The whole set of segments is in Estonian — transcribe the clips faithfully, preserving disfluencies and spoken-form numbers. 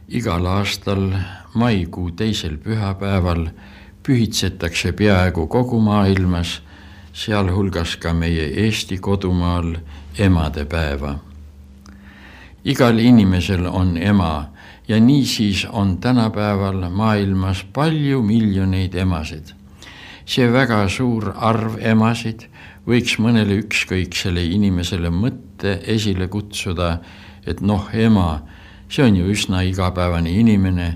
Igal aastal maikuu teisel pühapäeval pühitsetakse peaaegu kogu maailmas, sealhulgas ka meie Eesti kodumaal, emadepäeva. Igal inimesel on ema ja niisiis on tänapäeval maailmas palju miljoneid emasid. See väga suur arv emasid võiks mõnele ükskõiksele inimesele mõtte esile kutsuda, et noh, ema, see on ju üsna igapäevane inimene,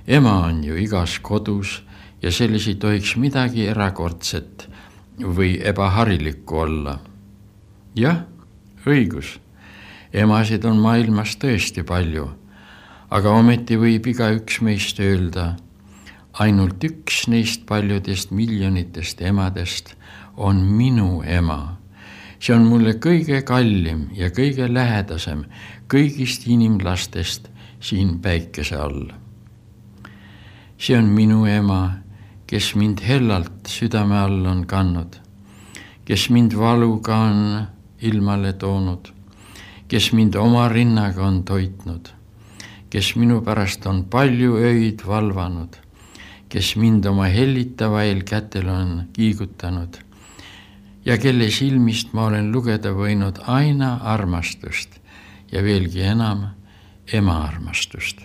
ema on ju igas kodus ja selles ei tohiks midagi erakordset või ebaharilikku olla. Jah, õigus, emasid on maailmas tõesti palju, aga ometi võib igaüks meist öelda, ainult üks neist paljudest miljonitest emadest on minu ema. See on mulle kõige kallim ja kõige lähedasem kõigist inimlastest siin päikese all. See on minu ema, kes mind hellalt südame all on kannud, kes mind valuga on ilmale toonud, kes mind oma rinnaga on toitnud, kes minu pärast on palju öid valvanud, kes mind oma hellitavail kätel on kiigutanud ja kelle silmist ma olen lugeda võinud aina armastust ja veelgi enam ema armastust.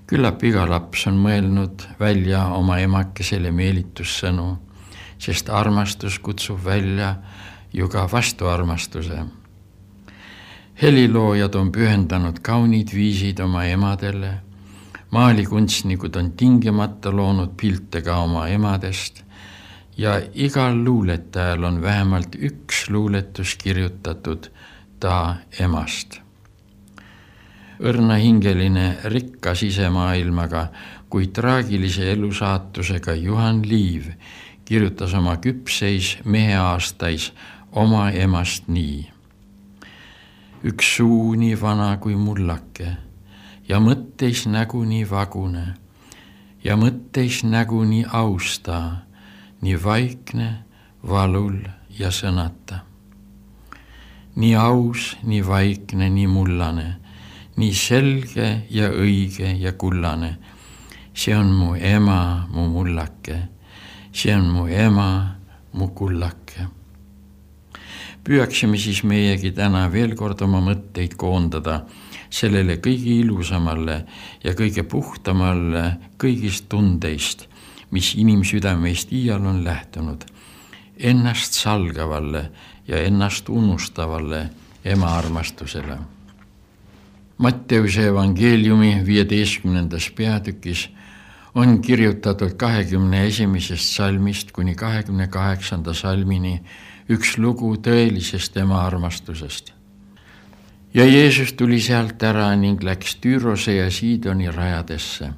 Küllap iga laps on mõelnud välja oma emakesele meelitussõnu, sest armastus kutsub välja ju ka vastuarmastuse. Heliloojad on pühendanud kaunid viisid oma emadele, maalikunstnikud on tingimata loonud pilte ka oma emadest ja igal luuletajal on vähemalt üks luuletus kirjutatud ta emast. Õrnahingeline rikka sisemaailmaga kui traagilise elusaatusega Juhan Liiv kirjutas oma küpseis meheaastais oma emast nii. Üks suu nii vana kui mullake ja mõtteis nägu nii vagune ja mõtteis nägu nii austa, nii vaikne, valul ja sõnata. Nii aus, nii vaikne, nii mullane, nii selge ja õige ja kullane. See on mu ema, mu mullake, see on mu ema, mu kullake. Püüaksime siis meiegi täna veel kord oma mõtteid koondada sellele kõige ilusamale ja kõige puhtamale kõigist tundeist, mis inimsüdameist iial on lähtunud, ennast salgavalle ja ennast unustavale ema armastusele. Matteuse evangeeliumi viieteistkümnendas peatükis on kirjutatud kahekümne esimesest salmist kuni kahekümne kaheksanda salmini üks lugu tõelisest ema armastusest. Ja Jeesus tuli sealt ära ning läks Tüürose ja Siidoni rajadesse.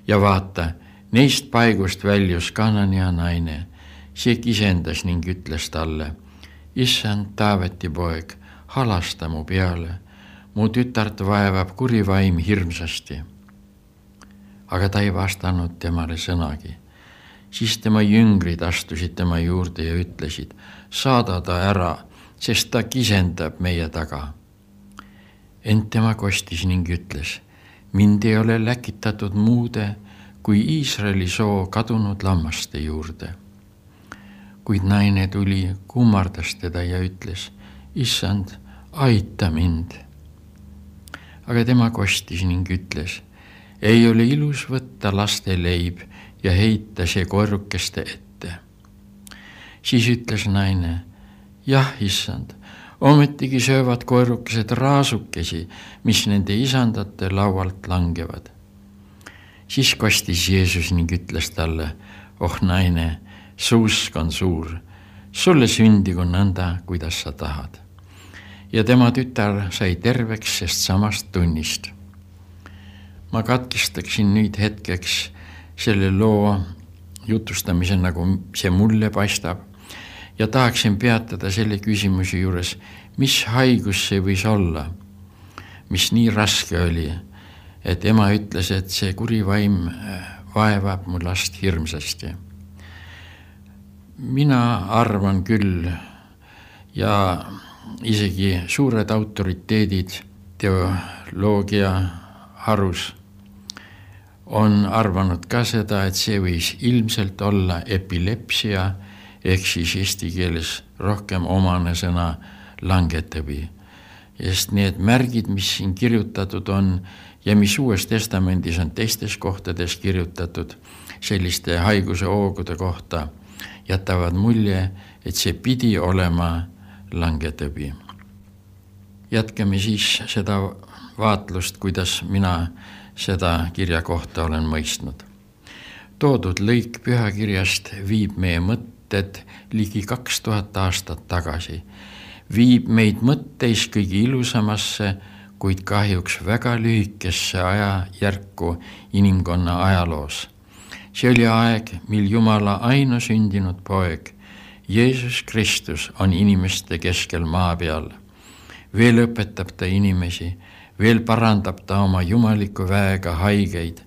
Ja vaata, neist paigust väljus Kanania naine, see kisendas ning ütles talle, Issand, Taaveti poeg, halasta mu peale, mu tütart vaevab kuri vaim hirmsasti. Aga ta ei vastanud temale sõnagi. Siis tema jüngrid astusid tema juurde ja ütlesid, saada ta ära, sest ta kisendab meie taga. Ent tema kostis ning ütles, mind ei ole läkitatud muude kui Iisraeli soo kadunud lammaste juurde. Kuid naine tuli, kummardas teda ja ütles, Issand, aita mind. Aga tema kostis ning ütles, ei ole ilus võtta laste leib ja heita see koerukeste ette. Siis ütles naine, jah, Issand, ometigi söövad koerukesed raasukesi, mis nende isandate laualt langevad. Siis kostis Jeesus ning ütles talle, oh naine, su usk on suur, sulle sündigu nõnda, kuidas sa tahad. Ja tema tütar sai terveks sest samast tunnist. Ma katkestaksin nüüd hetkeks selle loo jutustamise, nagu see mulle paistab, ja tahaksin peatada selle küsimuse juures, mis haigus see võis olla, mis nii raske oli, et ema ütles, et see kuri vaim vaevab mu last hirmsasti. Mina arvan küll ja isegi suured autoriteedid teoloogia harus on arvanud ka seda, et see võis ilmselt olla epilepsia, ehk siis eesti keeles rohkem omane sõna langetõbi. Sest need märgid, mis siin kirjutatud on ja mis Uues Testamendis on teistes kohtades kirjutatud selliste haiguse hoogude kohta, jätavad mulje, et see pidi olema langetõbi. Jätkame siis seda vaatlust, kuidas mina seda kirja kohta olen mõistnud. Toodud lõik pühakirjast viib meie mõtted ligi kaks tuhat aastat tagasi. Viib meid mõtteis kõige ilusamasse, kuid kahjuks väga lühikesse ajajärku inimkonna ajaloos. See oli aeg, mil Jumala ainusündinud poeg, Jeesus Kristus on inimeste keskel maa peal. Veel õpetab ta inimesi, veel parandab ta oma jumaliku väega haigeid,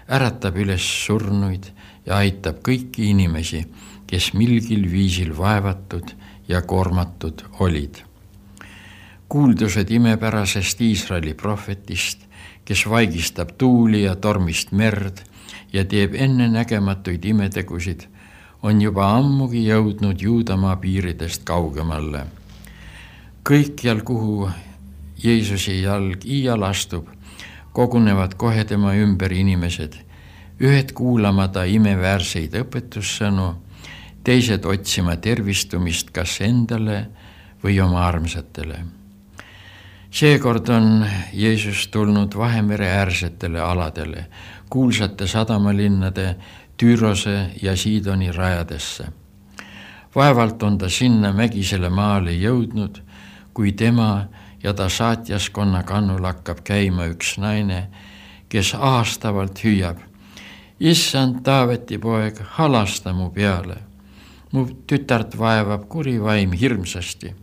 äratab üles surnuid ja aitab kõiki inimesi, kes milgil viisil vaevatud ja koormatud olid. Kuuldused imepärasest Iisraeli prohvetist, kes vaigistab tuuli ja tormist merd ja teeb ennenägematuid imetegusid, on juba ammugi jõudnud Juudamaa piiridest kaugemale. Kõikjal, kuhu Jeesuse jalg iial astub, kogunevad kohe tema ümber inimesed, ühed kuulama ta imeväärseid õpetussõnu, teised otsima tervistumist kas endale või oma armsatele. Seekord on Jeesus tulnud Vahemere äärsetele aladele, kuulsate sadamalinnade Tüürose ja Siidoni rajadesse. Vaevalt on ta sinna mägisele maale jõudnud, kui tema ja ta saatjaskonna kannul hakkab käima üks naine, kes aastavalt hüüab: Issand Taaveti poeg, halasta mu peale. Mu tütart vaevab kuri vaim hirmsasti.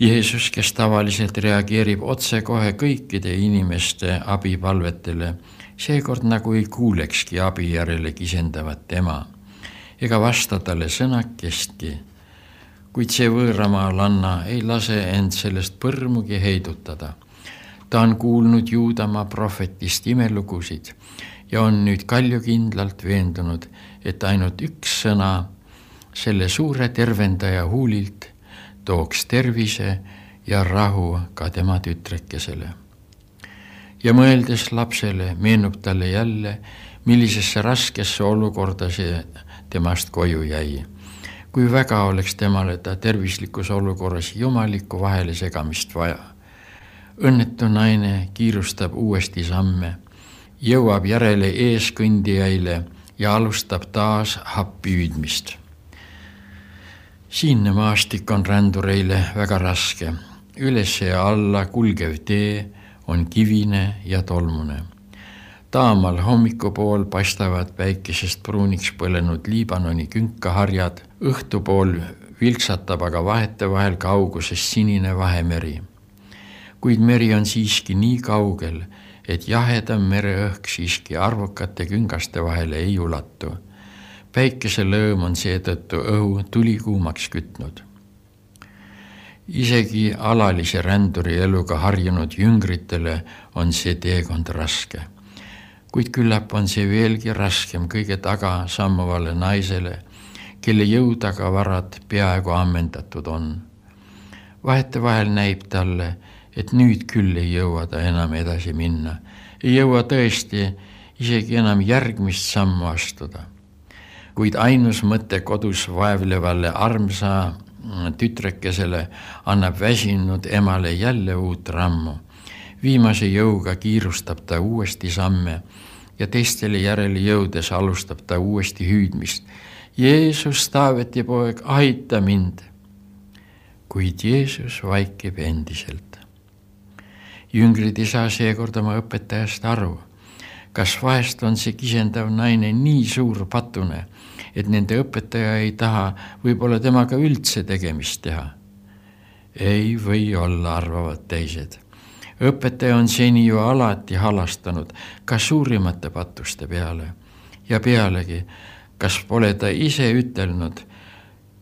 Jeesus, kes tavaliselt reageerib otsekohe kõikide inimeste abipalvetele, seekord nagu ei kuulekski abi järele kisendavat tema, ega vasta talle sõnakestki, kuid see võõramaalanna ei lase end sellest põrmugi heidutada. Ta on kuulnud Juudamaa prohvetist imelugusid ja on nüüd kaljukindlalt veendunud, et ainult üks sõna selle suure tervendaja huulilt tooks tervise ja rahu ka tema tütrekesele. Ja mõeldes lapsele meenub talle jälle, millisesse raskesse olukorda see temast koju jäi. Kui väga oleks temale ta tervislikus olukorras jumalikku vahele segamist vaja. Õnnetu naine kiirustab uuesti samme, jõuab järele eeskõndijaile ja alustab taas happi hüüdmist. Siinne maastik on rändureile väga raske. Üles ja alla kulgev tee on kivine ja tolmune. Taamal hommikupool paistavad päikesest pruuniks põlenud Liibanoni künkaharjad, õhtupool vilksatab aga vahetevahel kaugusest sinine Vahemeri. Kuid meri on siiski nii kaugel, et jahedam mereõhk siiski arvukate küngaste vahele ei ulatu. Päikese lõõm on seetõttu õhu tulikuumaks kütnud. Isegi alalise ränduri eluga harjunud jüngritele on see teekond raske. Kuid küllap on see veelgi raskem kõige taga sammuvale naisele, kelle jõudaga varad peaaegu ammendatud on. Vahetevahel näib talle, et nüüd küll ei jõua ta enam edasi minna. Ei jõua tõesti isegi enam järgmist sammu astuda. Kuid ainus mõte kodus vaevlevalle armsa tütrekesele annab väsinud emale jälle uut rammu. Viimase jõuga kiirustab ta uuesti samme ja teistele järele jõudes alustab ta uuesti hüüdmist. Jeesus, Taaveti poeg, aita mind! Kuid Jeesus vaikib endiselt. Jüngrid ei saa seekord oma õpetajast aru. Kas vahest on see kisendav naine nii suur patune, et nende õpetaja ei taha võib-olla temaga üldse tegemist teha? Ei või olla, arvavad teised. Õpetaja on seni ju alati halastanud ka suurimate patuste peale. Ja pealegi, kas pole ta ise ütelnud: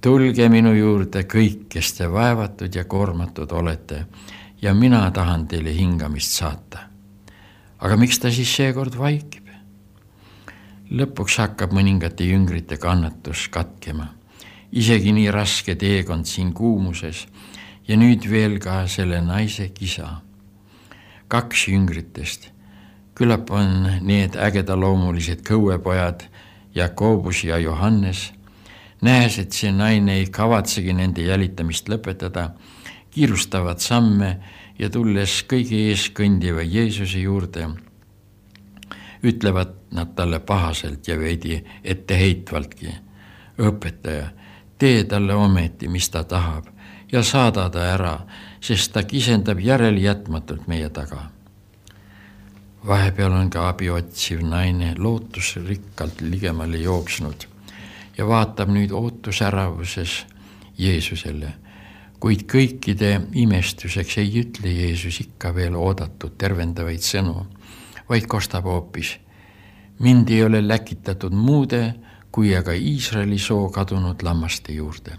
tulge minu juurde kõik, kes te vaevatud ja koormatud olete, ja mina tahan teile hingamist saata. aga miks ta siis seekord vaikib? Lõpuks hakkab mõningate jüngrite kannatus katkema. Isegi nii raske teekond siin kuumuses ja nüüd veel ka selle naise kisa. Kaks jüngritest. Küllap on need ägedaloomulised kõuepojad Jakobus ja Johannes. Nähes, et see naine ei kavatsegi nende jälitamist lõpetada, kiirustavad samme ja tulles kõige ees kõndiva Jeesuse juurde, ütlevad nad talle pahaselt ja veidi etteheitvaltki. Õpetaja, tee talle ometi, mis ta tahab ja saada ta ära, sest ta kisendab järeljätmatult meie taga. Vahepeal on ka abi otsiv naine lootusrikkalt ligemale jooksnud ja vaatab nüüd ootusäravuses Jeesusele, kuid kõikide imestuseks ei ütle Jeesus ikka veel oodatud tervendavaid sõnu, vaid kostab hoopis. Mind ei ole läkitatud muude, kui aga Iisraeli soo kadunud lammaste juurde.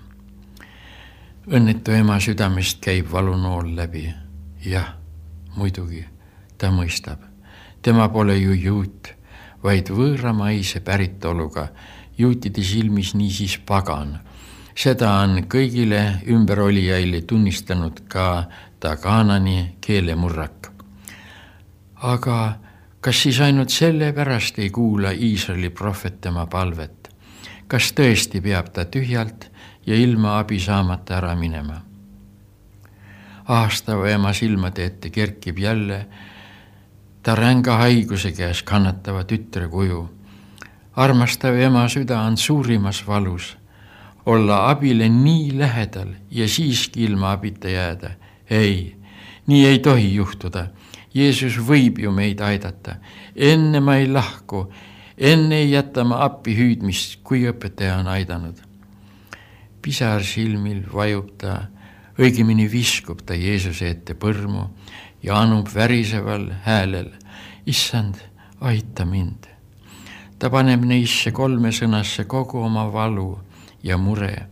Õnnetu ema südamest käib valunool läbi. Jah, muidugi, ta mõistab. Tema pole ju juut, vaid võõramaise päritoluga, juutide silmis niisiis pagan. Seda on kõigile ümberolijaile tunnistanud ka ta Kaanani keelemurrak. Aga kas siis ainult selle pärast ei kuula Iisraeli prohvet tema palvet? Kas tõesti peab ta tühjalt ja ilma abi saamata ära minema? Aastava ema silmade ette kerkib jälle ta ränga haiguse käes kannatava tütre kuju. Armastav ema süda on suurimas valus. Olla abile nii lähedal ja siiski ilma abita jääda. Ei, nii ei tohi juhtuda. Jeesus võib ju meid aidata. Enne ma ei lahku, enne ei jäta ma appi hüüdmist, kui õpetaja on aidanud. Pisar silmil vajub ta, õigemini viskub ta Jeesuse ette põrmu ja anub väriseval häälel. Issand, aita mind. Ta paneb neisse kolme sõnasse kogu oma valu ja mure,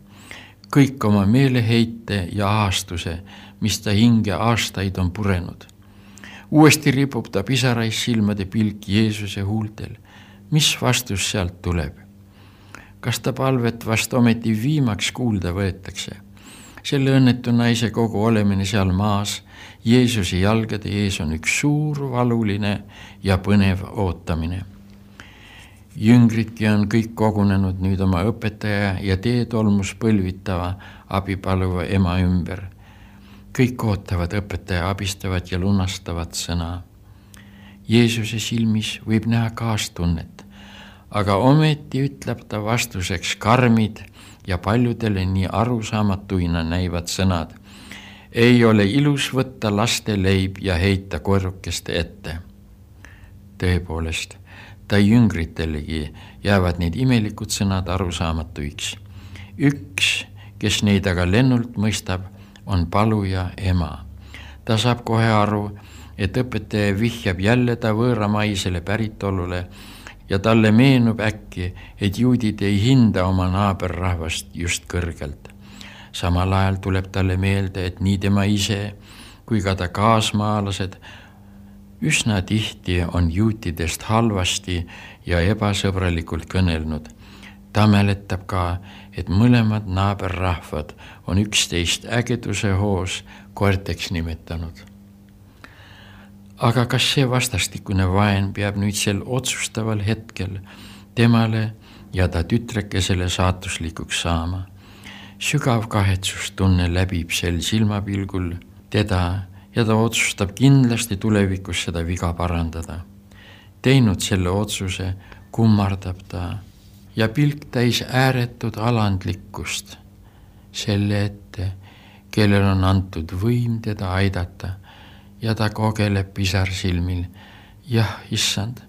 kõik oma meeleheite ja aastuse, mis ta hinge aastaid on purenud. Uuesti ripub ta pisarais silmade pilk Jeesuse huultel. Mis vastus sealt tuleb? Kas ta palvet vast ometi viimaks kuulda võetakse? Selle õnnetu naise kogu olemine seal maas, Jeesuse jalgade ees on üks suur valuline ja põnev ootamine. Jüngridki on kõik kogunenud nüüd oma õpetaja ja teetolmus põlvitava abipaluva ema ümber. Kõik ootavad õpetaja abistavat ja lunastavat sõna. Jeesuse silmis võib näha kaastunnet, aga ometi ütleb ta vastuseks karmid ja paljudele nii arusaamatuina näivad sõnad. Ei ole ilus võtta laste leib ja heita koerukeste ette. Tõepoolest, ta jüngritelegi jäävad need imelikud sõnad arusaamatuiks. Üks, kes neid aga lennult mõistab, on paluja ema. Ta saab kohe aru, et õpetaja vihjab jälle ta võõramaisele päritolule ja talle meenub äkki, et juudid ei hinda oma naaberrahvast just kõrgelt. Samal ajal tuleb talle meelde, et nii tema ise kui ka ta kaasmaalased üsna tihti on juutidest halvasti ja ebasõbralikult kõnelnud. Ta mäletab ka, et mõlemad naaberrahvad on üksteist ägeduse hoos koerteks nimetanud. Aga kas see vastastikune vaen peab nüüd sel otsustaval hetkel temale ja ta tütrekesele saatuslikuks saama? Sügav kahetsustunne läbib sel silmapilgul teda ja ta otsustab kindlasti tulevikus seda viga parandada. Teinud selle otsuse, kummardab ta ja pilk täis ääretud alandlikkust selle ette, kellel on antud võim teda aidata ja ta kogeleb pisar silmil. Jah, issand,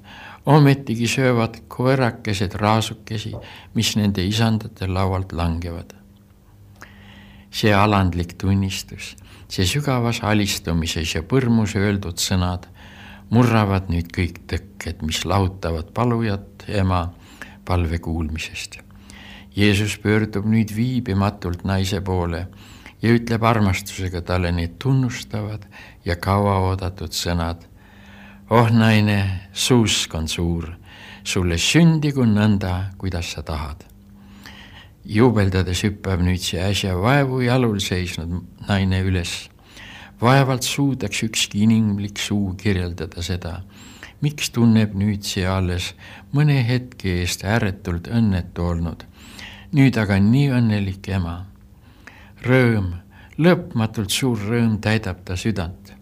ometigi söövad koerakesed raasukesi, mis nende isandate laualt langevad. See alandlik tunnistus, see sügavas alistumises ja põrmus öeldud sõnad murravad nüüd kõik tõkked, mis lahutavad palujat ema palve kuulmisest. Jeesus pöördub nüüd viibimatult naise poole ja ütleb armastusega talle need tunnustavad ja kauaoodatud sõnad. oh naine, suusk on suur, sulle sündigu nõnda, kuidas sa tahad. Juubeldades hüppab nüüd see äsja vaevu jalul seisnud naine üles. Vaevalt suudaks ükski inimlik suu kirjeldada seda, miks tunneb nüüd see alles mõne hetke eest ääretult õnnetu olnud. Nüüd aga nii õnnelik ema. Rõõm, lõpmatult suur rõõm täidab ta südant.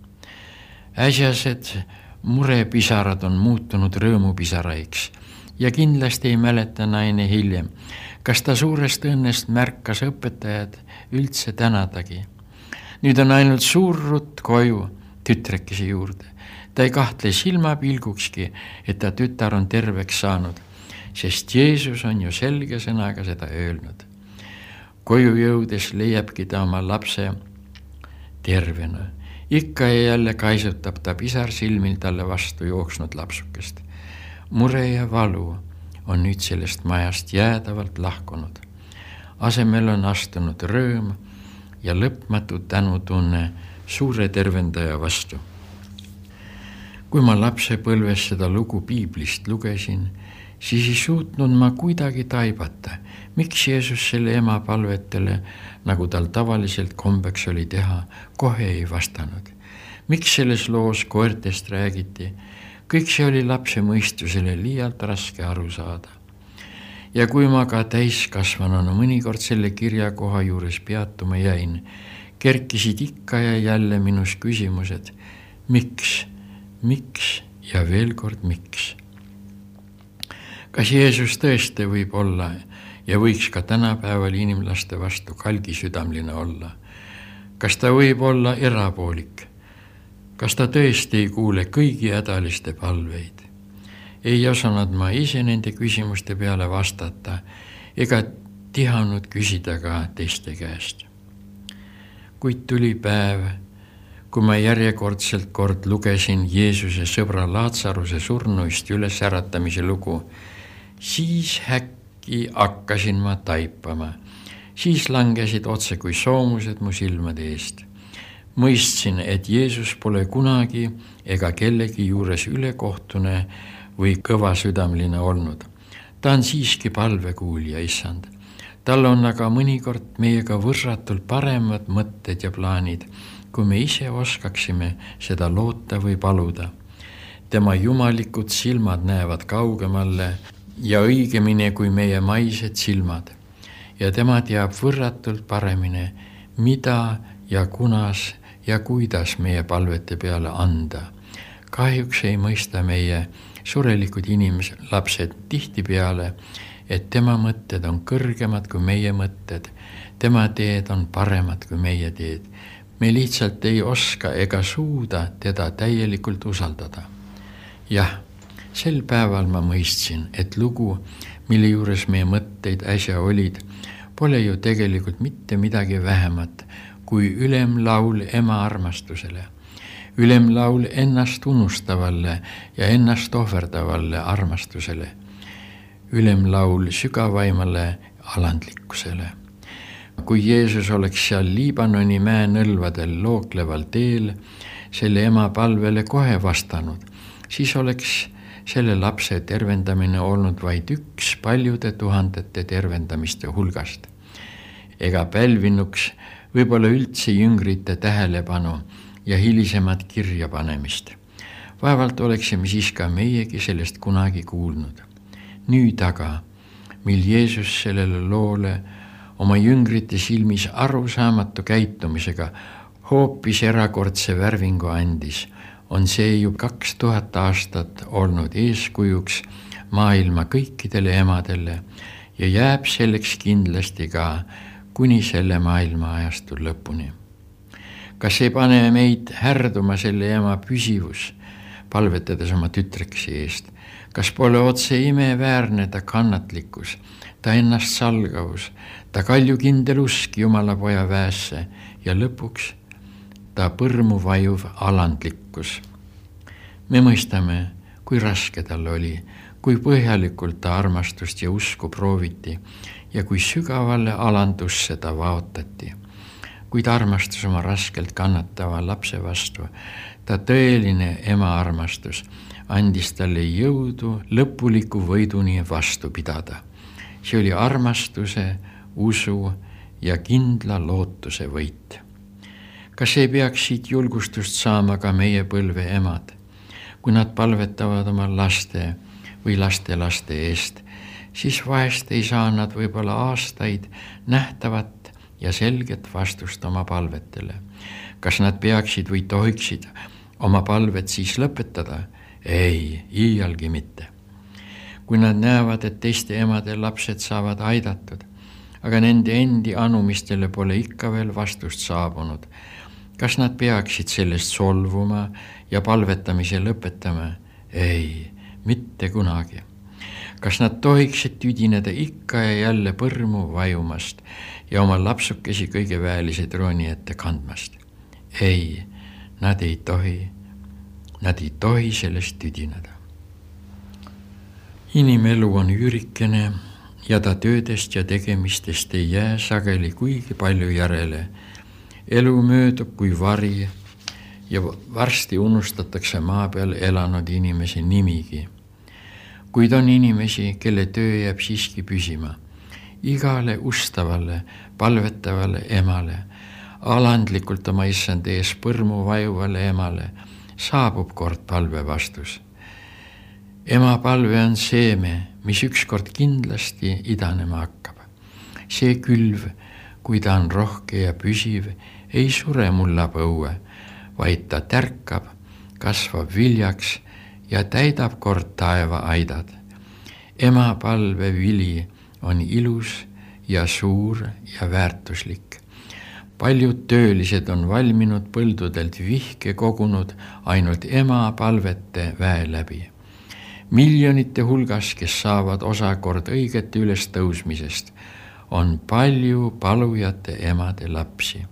Äsjased murepisarad on muutunud rõõmupisaraiks ja kindlasti ei mäleta naine hiljem, kas ta suurest õnnest märkas õpetajad üldse tänadagi. Nüüd on ainult suur rutt koju tütrekese juurde. Ta ei kahtle silmapilgukski, et ta tütar on terveks saanud, sest Jeesus on ju selge sõnaga seda öelnud. Koju jõudes leiabki ta oma lapse tervena. Ikka ja jälle kaisutab ta pisar silmil talle vastu jooksnud lapsukest. Mure ja valu on nüüd sellest majast jäädavalt lahkunud. Asemel on astunud rõõm ja lõpmatu tänutunne suure tervendaja vastu. Kui ma lapsepõlves seda lugu piiblist lugesin, siis ei suutnud ma kuidagi taibata, miks Jeesus selle ema palvetele, nagu tal tavaliselt kombeks oli teha, kohe ei vastanud. Miks selles loos koertest räägiti? Kõik see oli lapse mõistusele liialt raske aru saada. Ja kui ma ka täiskasvanuna mõnikord selle kirjakoha juures peatuma jäin, kerkisid ikka ja jälle minus küsimused, miks, miks ja veel kord miks. Kas Jeesus tõesti võib olla ja võiks ka tänapäeval inimlaste vastu kalgisüdamline olla? Kas ta võib olla erapoolik? Kas ta tõesti ei kuule kõigi hädaliste palveid? Ei osanud ma ise nende küsimuste peale vastata ega tihanud küsida ka teiste käest. Kuid tuli päev, kui ma järjekordselt kord lugesin Jeesuse sõbra Laatsaruse surnuist üles äratamise lugu, siis häkki hakkasin ma taipama. Siis langesid otse kui soomused mu silmade eest. Mõistsin, et Jeesus pole kunagi ega kellegi juures ülekohtune või kõvasüdamline olnud. Ta on siiski palvekuulja, issand. Tal on aga mõnikord meiega võrratult paremad mõtted ja plaanid, kui me ise oskaksime seda loota või paluda. Tema jumalikud silmad näevad kaugemale ja õigemini kui meie maised silmad. Ja tema teab võrratult paremini, mida ja kunas ja kuidas meie palvete peale anda. Kahjuks ei mõista meie surelikud inimlapsed tihti peale, et tema mõtted on kõrgemad kui meie mõtted, tema teed on paremad kui meie teed. Me lihtsalt ei oska ega suuda teda täielikult usaldada. Jah, sel päeval ma mõistsin, et lugu, mille juures meie mõtteid äsja olid, pole ju tegelikult mitte midagi vähemat kui ülemlaul ema armastusele. Ülemlaul ennast unustavale ja ennast ohverdavalle armastusele. Ülemlaul sügavaimale alandlikkusele. Kui Jeesus oleks seal Liibanoni mäenõlvadel lookleval teel selle ema palvele kohe vastanud, siis oleks selle lapse tervendamine olnud vaid üks paljude tuhandete tervendamiste hulgast. Ega pälvinuks võib-olla üldse jüngrite tähelepanu ja hilisemat kirja panemist. Vaevalt oleksime siis ka meiegi sellest kunagi kuulnud. Nüüd aga, mil Jeesus sellele loole oma jüngrite silmis arusaamatu käitumisega hoopis erakordse värvingu andis, on see ju kaks tuhat aastat olnud eeskujuks maailma kõikidele emadele ja jääb selleks kindlasti ka kuni selle maailma ajastu lõpuni. Kas ei pane meid härduma selle ema püsivus, palvetades oma tütreksi eest? Kas pole otse imeväärne ta kannatlikkus, ta ennast salgavus, ta kaljukindel usk Jumala poja väesse ja lõpuks ta põrmu vajuv alandlikkus? Me mõistame, kui raske tal oli, kui põhjalikult ta armastust ja usku prooviti ja kui sügavale alandusse ta vaotati. kuid armastus oma raskelt kannatava lapse vastu, ta tõeline ema armastus, andis talle jõudu lõpuliku võiduni vastu pidada. See oli armastuse, usu ja kindla lootuse võit. Kas ei peaks siit julgustust saama ka meie põlve emad, kui nad palvetavad oma laste või lastelaste eest, siis vahest ei saa nad võib-olla aastaid nähtavat ja selget vastust oma palvetele. Kas nad peaksid või tohiksid oma palvet siis lõpetada? Ei, iialgi mitte. Kui nad näevad, et teiste emade lapsed saavad aidatud, aga nende endi anumistele pole ikka veel vastust saabunud, kas nad peaksid sellest solvuma ja palvetamise lõpetama? Ei, mitte kunagi. Kas nad tohiksid tüdineda ikka ja jälle põrmu vajumast ja oma lapsukesi kõige väelise trooni ette kandmast? Ei, nad ei tohi, nad ei tohi sellest tüdineda. Inimelu on üürikene ja ta töödest ja tegemistest ei jää sageli kuigi palju järele. Elu möödub kui vari ja varsti unustatakse maa peal elanud inimese nimigi. Kuid on inimesi, kelle töö jääb siiski püsima. Igale ustavale, palvetavale emale, alandlikult oma issand ees põrmu vajuvale emale saabub kord palve vastus. Ema palve on seeme, mis ükskord kindlasti idanema hakkab. See külv, kui ta on rohke ja püsiv, ei sure mullapõue, vaid ta tärkab, kasvab viljaks ja täidab kord taeva aidad. Ema palve vili on ilus ja suur ja väärtuslik. Paljud töölised on valminud põldudelt vihke kogunud ainult ema palvete väe läbi. Miljonite hulgas, kes saavad osakord õigete ülestõusmisest, on palju palujate emade lapsi.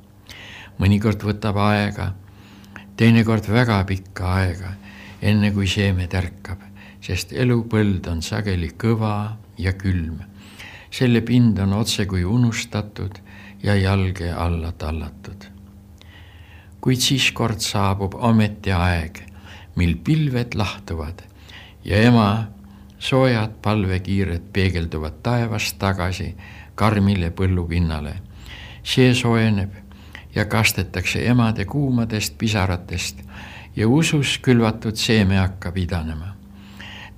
Mõnikord võtab aega, teinekord väga pikka aega, enne kui seeme tärkab, sest elupõld on sageli kõva ja külm. Selle pind on otse kui unustatud ja jalge alla tallatud. Kuid siis kord saabub ometi aeg, mil pilved lahtuvad ja ema soojad palvekiired peegelduvad taevast tagasi karmile põllupinnale. See soojeneb ja kastetakse emade kuumadest pisaratest ja usus külvatud seeme hakkab idanema.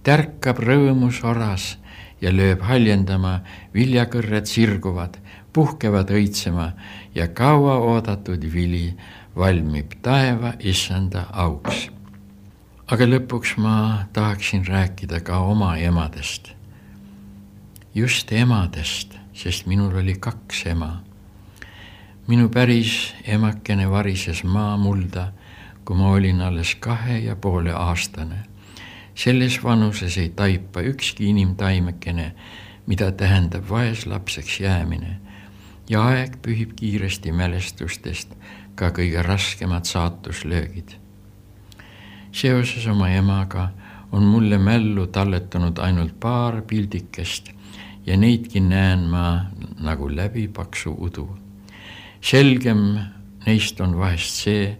Tärkab rõõmus oras ja lööb haljendama, viljakõrred sirguvad, puhkevad õitsema ja kaua oodatud vili valmib taeva issanda auks. Aga lõpuks ma tahaksin rääkida ka oma emadest. Just emadest, sest minul oli kaks ema. Minu päris emakene varises maamulda, kui ma olin alles kahe ja poole aastane. Selles vanuses ei taipa ükski inimtaimekene, mida tähendab vaeslapseks jäämine, ja aeg pühib kiiresti mälestustest ka kõige raskemad saatuslöögid. Seoses oma emaga on mulle mällu talletanud ainult paar pildikest ja neidki näen ma nagu läbi paksu udu. Selgem neist on vahest see,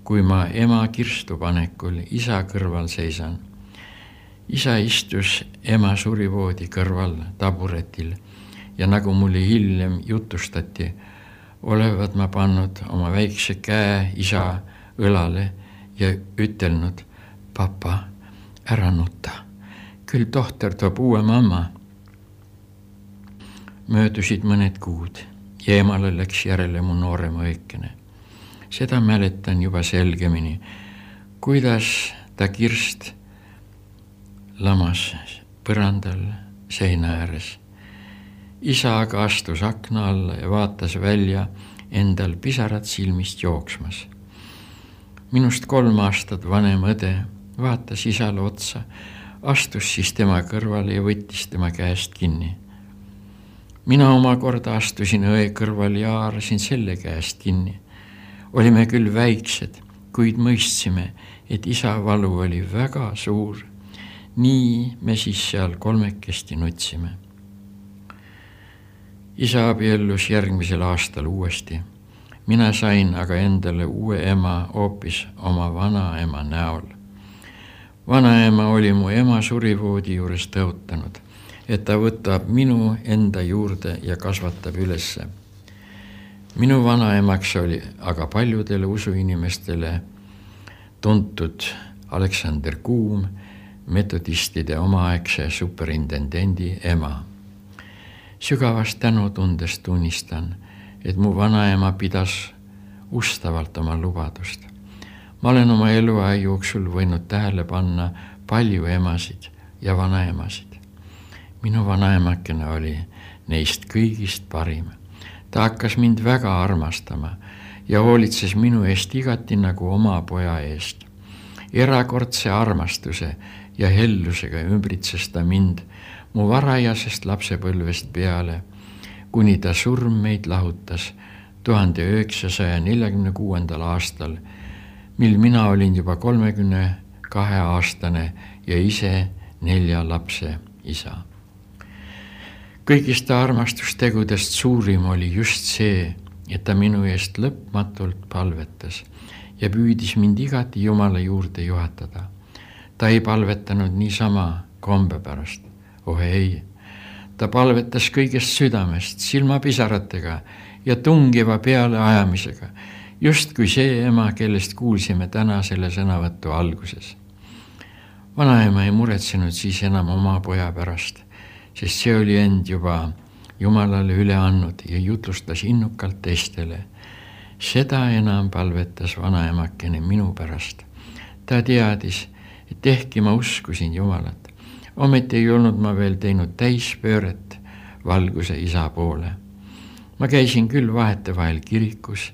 kui ma ema kirstupanekul isa kõrval seisan. Isa istus ema surivoodi kõrval taburetil ja nagu mulle hiljem jutustati, olevat ma pannud oma väikse käe isa õlale ja ütelnud, papa, ära nuta, küll tohter toob uue mamma. Möödusid mõned kuud ja emale läks järele mu noorema õikene. Seda mäletan juba selgemini, kuidas ta kirst lamas põrandal seina ääres. Isa aga astus akna alla ja vaatas välja endal pisarad silmist jooksmas. Minust kolm aastat vanem õde vaatas isale otsa, astus siis tema kõrvale ja võttis tema käest kinni. Mina omakorda astusin õe kõrval ja haarasin selle käest kinni. Olime küll väiksed, kuid mõistsime, et isa valu oli väga suur. Nii me siis seal kolmekesti nutsime. Isa abiellus järgmisel aastal uuesti. Mina sain aga endale uue ema hoopis oma vanaema näol. Vanaema oli mu ema surivoodi juures tõotanud, et ta võtab minu enda juurde ja kasvatab ülesse. Minu vanaemaks oli aga paljudele usuinimestele tuntud Aleksander Kuum, metodistide omaaegse superintendendi ema. Sügavast tänutundest tunnistan, et mu vanaema pidas ustavalt oma lubadust. Ma olen oma eluaja jooksul võinud tähele panna palju emasid ja vanaemasid. Minu vanaemakene oli neist kõigist parim. Ta hakkas mind väga armastama ja hoolitses minu eest igati nagu oma poja eest. Erakordse armastuse ja hellusega ümbritses ta mind mu varajasest lapsepõlvest peale, kuni ta surm meid lahutas tuhande üheksasaja neljakümne kuuendal aastal, mil mina olin juba kolmekümne kahe aastane ja ise nelja lapse isa. Kõigist armastustegudest suurim oli just see, et ta minu eest lõpmatult palvetas ja püüdis mind igati Jumala juurde juhatada. Ta ei palvetanud niisama kombe pärast. Oh ei, ta palvetas kõigest südamest, silmapisaratega ja tungiva peale ajamisega, just kui see ema, kellest kuulsime täna selle sõnavõttu alguses. Vanaema ei muretsenud siis enam oma poja pärast, sest see oli end juba Jumalale üle andnud ja jutlustas innukalt teistele. Seda enam palvetas vanaemakene minu pärast. Ta teadis, et ehkki ma uskusin Jumalat, ometi ei olnud ma veel teinud täispööret valguse isa poole. Ma käisin küll vahetevahel kirikus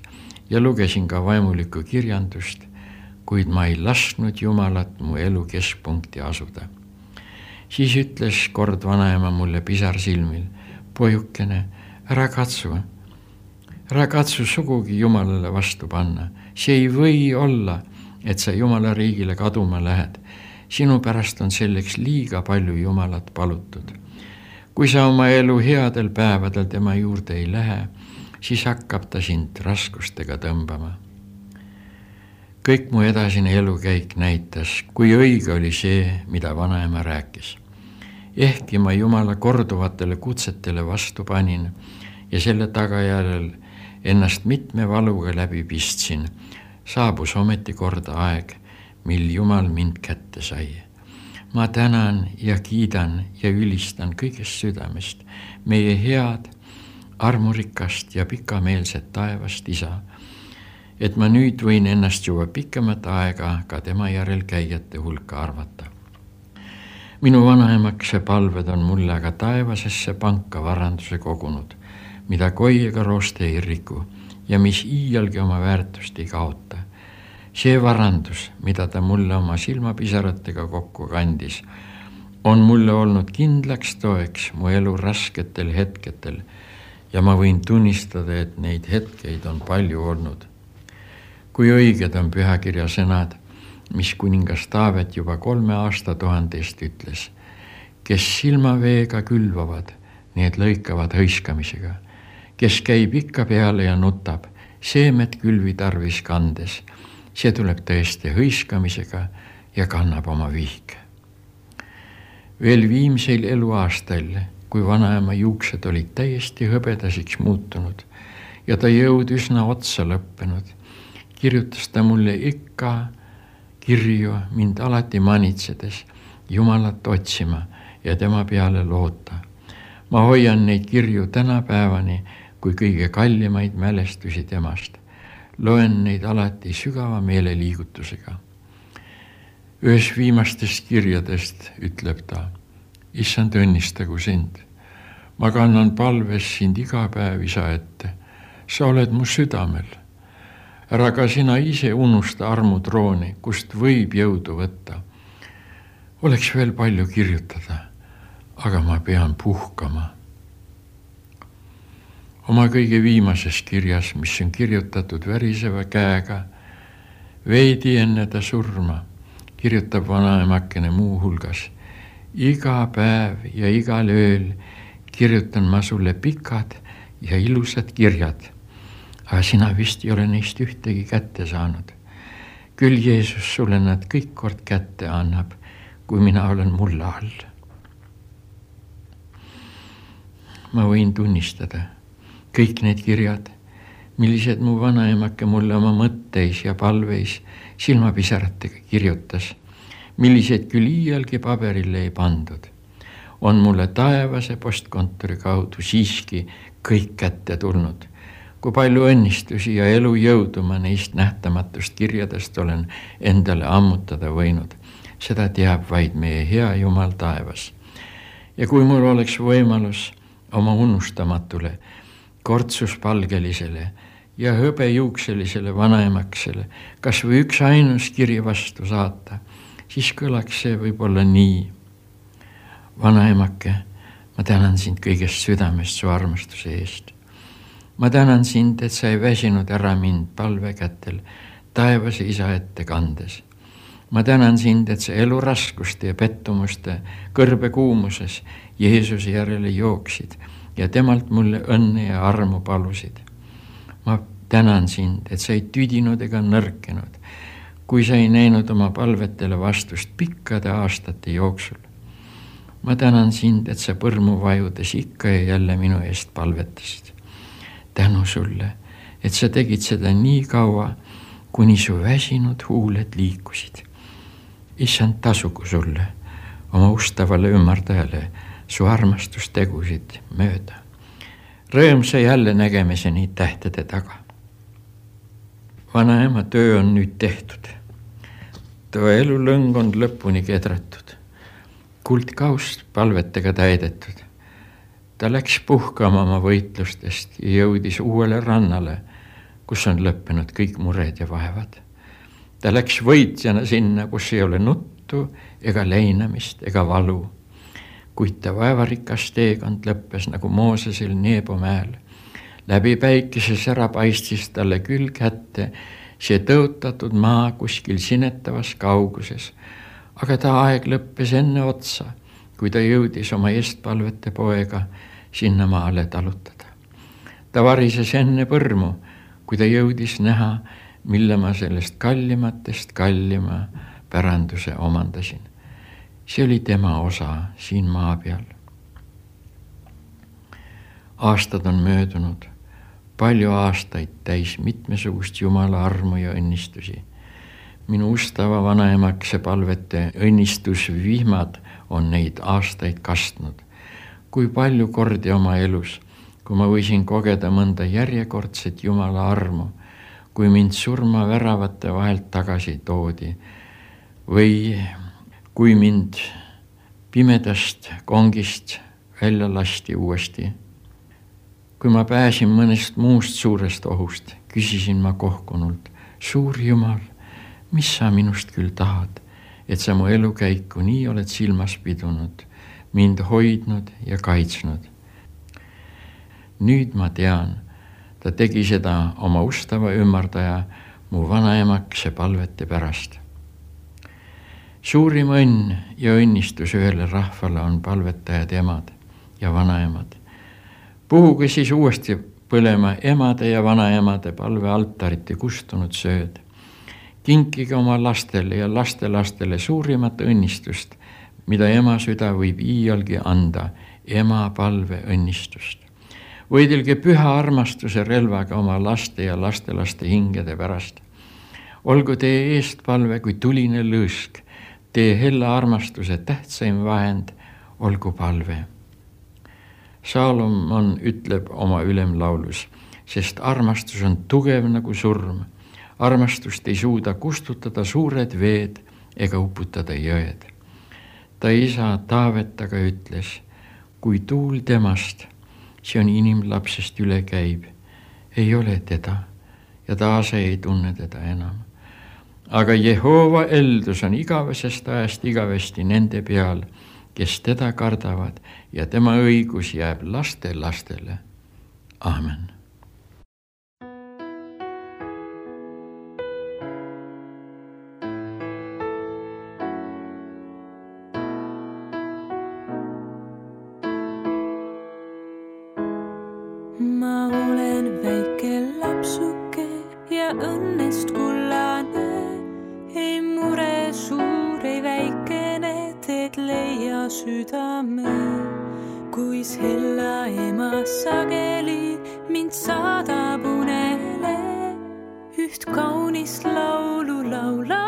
ja lugesin ka vaimulikku kirjandust, kuid ma ei lasknud Jumalat mu elu keskpunkti asuda. Siis ütles kord vanaema mulle pisar silmil, pojukene, ära katsu, ära katsu sugugi Jumalale vastu panna. See ei või olla, et sa Jumala riigile kaduma lähed. Sinu pärast on selleks liiga palju Jumalat palutud. Kui sa oma elu headel päevadel tema juurde ei lähe, siis hakkab ta sind raskustega tõmbama. Kõik mu edasine elukäik näitas, kui õige oli see, mida vanaema rääkis. Ehkki ma Jumala korduvatele kutsetele vastu panin ja selle tagajärjel ennast mitme valuga läbi pistsin, saabus ometi korda aeg, mil Jumal mind kätte sai. Ma tänan ja kiidan ja ülistan kõigest südamest meie head, armurikast ja pikameelset taevast isa, et ma nüüd võin ennast juba pikemat aega ka tema järel käijate hulka arvata. Minu vanaemakse palved on mulle aga taevasesse panka varanduse kogunud, mida koi ega rooste ei riku ja mis iialgi oma väärtust ei kaota. See varandus, mida ta mulle oma silmapisaratega kokku kandis, on mulle olnud kindlaks toeks mu elu rasketel hetketel ja ma võin tunnistada, et neid hetkeid on palju olnud. Kui õiged on pühakirja sõnad, mis kuningas Taavet juba kolme aasta tuhandest ütles, kes silmaveega külvavad, need lõikavad hõiskamisega, kes käib ikka peale ja nutab, seemet külvi tarvis kandes, see tuleb tõesti hõiskamisega ja kannab oma vihke. Veel viimseil eluaastal, kui vanaema juuksed olid täiesti hõbedasiks muutunud ja ta jõud üsna otsa lõppenud, kirjutas ta mulle ikka kirju mind alati manitsedes Jumalat otsima ja tema peale loota. Ma hoian neid kirju tänapäevani kui kõige kallimaid mälestusi temast. Loen neid alati sügava meeleliigutusega. Ühes viimastest kirjadest ütleb ta, Issand õnnistagu sind. Ma kannan palves sind iga päev isa ette. Sa oled mu südamel. Ära ka sina ise unusta armutrooni, kust võib jõudu võtta. Oleks veel palju kirjutada, aga ma pean puhkama. Oma kõige viimases kirjas, mis on kirjutatud väriseva käega, veidi enne ta surma, kirjutab vanaemakene muu hulgas. Iga päev ja igal ööl kirjutan ma sulle pikad ja ilusad kirjad. aga sina vist ei ole neist ühtegi kätte saanud. Küll Jeesus sulle nad kõik kord kätte annab, kui mina olen mulla all. Ma võin tunnistada kõik need kirjad, millised mu vanaemake mulle oma mõtteis ja palveis silmapisaratega kirjutas, millised küll iialgi paberile ei pandud, on mulle taevase postkontori kaudu siiski kõik kätte tulnud. Kui palju õnnistusi ja elujõudu ma neist nähtamatust kirjadest olen endale ammutada võinud, seda teab vaid meie hea Jumal taevas. Ja kui mul oleks võimalus oma unustamatule, kortsuspalgelisele ja hõbejuukselisele vanaemaksele kas või üks ainus kiri vastu saata, siis kõlaks see võib-olla nii. Vanaemake, ma tänan sind kõigest südamest su armastuse eest. Ma tänan sind, et sa ei väsinud ära mind palvekätel taevase isa ette kandes. Ma tänan sind, et sa eluraskuste ja pettumuste kõrbe kuumuses Jeesuse järele jooksid ja temalt mulle õnne ja armu palusid. Ma tänan sind, et sa ei tüdinud ega nõrkenud, kui sa ei näinud oma palvetele vastust pikkade aastate jooksul. Ma tänan sind, et sa põrmu vajudes ikka ja jälle minu eest palvetasid. Tänu sulle, et sa tegid seda nii kaua, kuni su väsinud huuled liikusid. Issand, tasugu sulle, oma ustavale ümardajale, su armastustegusid mööda. Rõõmsa jälle nägemiseni tähtede taga. Vanaema töö on nüüd tehtud. Too elulõng on lõpuni kedratud. Kuldkaust palvetega täidetud. Ta läks puhkama oma võitlustest ja jõudis uuele rannale, kus on lõppenud kõik mured ja vaevad. Ta läks võitjana sinna, kus ei ole nuttu ega leinamist ega valu. Kuid ta vaevarikas teekond lõppes nagu Moosesel Nebo mäel. Läbi päikese sära paistis talle küll kätte see tõotatud maa kuskil sinetavas kauguses, aga ta aeg lõppes enne otsa, kui ta jõudis oma eestpalvete poega sinna maale talutada. Ta varises enne põrmu, kui ta jõudis näha, mille ma sellest kallimatest kallima päranduse omandasin. See oli tema osa siin maa peal. Aastad on möödunud, palju aastaid täis mitmesugust Jumala armu ja õnnistusi. Minu ustava vanaemakse palvete õnnistusvihmad on neid aastaid kastnud. Kui palju kordi oma elus, kui ma võisin kogeda mõnda järjekordset Jumala armu, kui mind surma väravate vahelt tagasi toodi või kui mind pimedast kongist välja lasti uuesti. Kui ma pääsin mõnest muust suurest ohust, küsisin ma kohkunult, suur Jumal, mis sa minust küll tahad, et sa mu elukäiku nii oled silmas pidunud, mind hoidnud ja kaitsnud. Nüüd ma tean, ta tegi seda oma ustava ümardaja mu vanaemakse palvete pärast. Suurim õnn ja õnnistus ühele rahvale on palvetajad emad ja vanaemad. Puhuge siis uuesti põlema emade ja vanaemade palvealtarite kustunud sööd. Kinkige oma lastele ja lastelastele suurimat õnnistust, mida ema süda võib iialgi anda, ema palve õnnistust. Võidelge püha armastuse relvaga oma laste ja lastelaste hingede pärast. Olgu teie eestpalve kui tuline lõõsk, teie hella armastuse tähtsaim vahend, olgu palve. Salomon ütleb oma ülemlaulus, sest armastus on tugev nagu surm. Armastust ei suuda kustutada suured veed ega uputada jõed. Ta isa Taavet aga ütles, kui tuul temast, see on inimlapsest üle käib, ei ole teda ja taase ei tunne teda enam. Aga Jehova eldus on igavesest ajast igavesti nende peal, kes teda kardavad ja tema õigus jääb laste lastele. Amen. Ma olen väike laps õnnest kullane, ei mure suur, ei väikene, teed leia südame. Kui sella ema sageli mind saadab unele, üht kaunist laulu laula.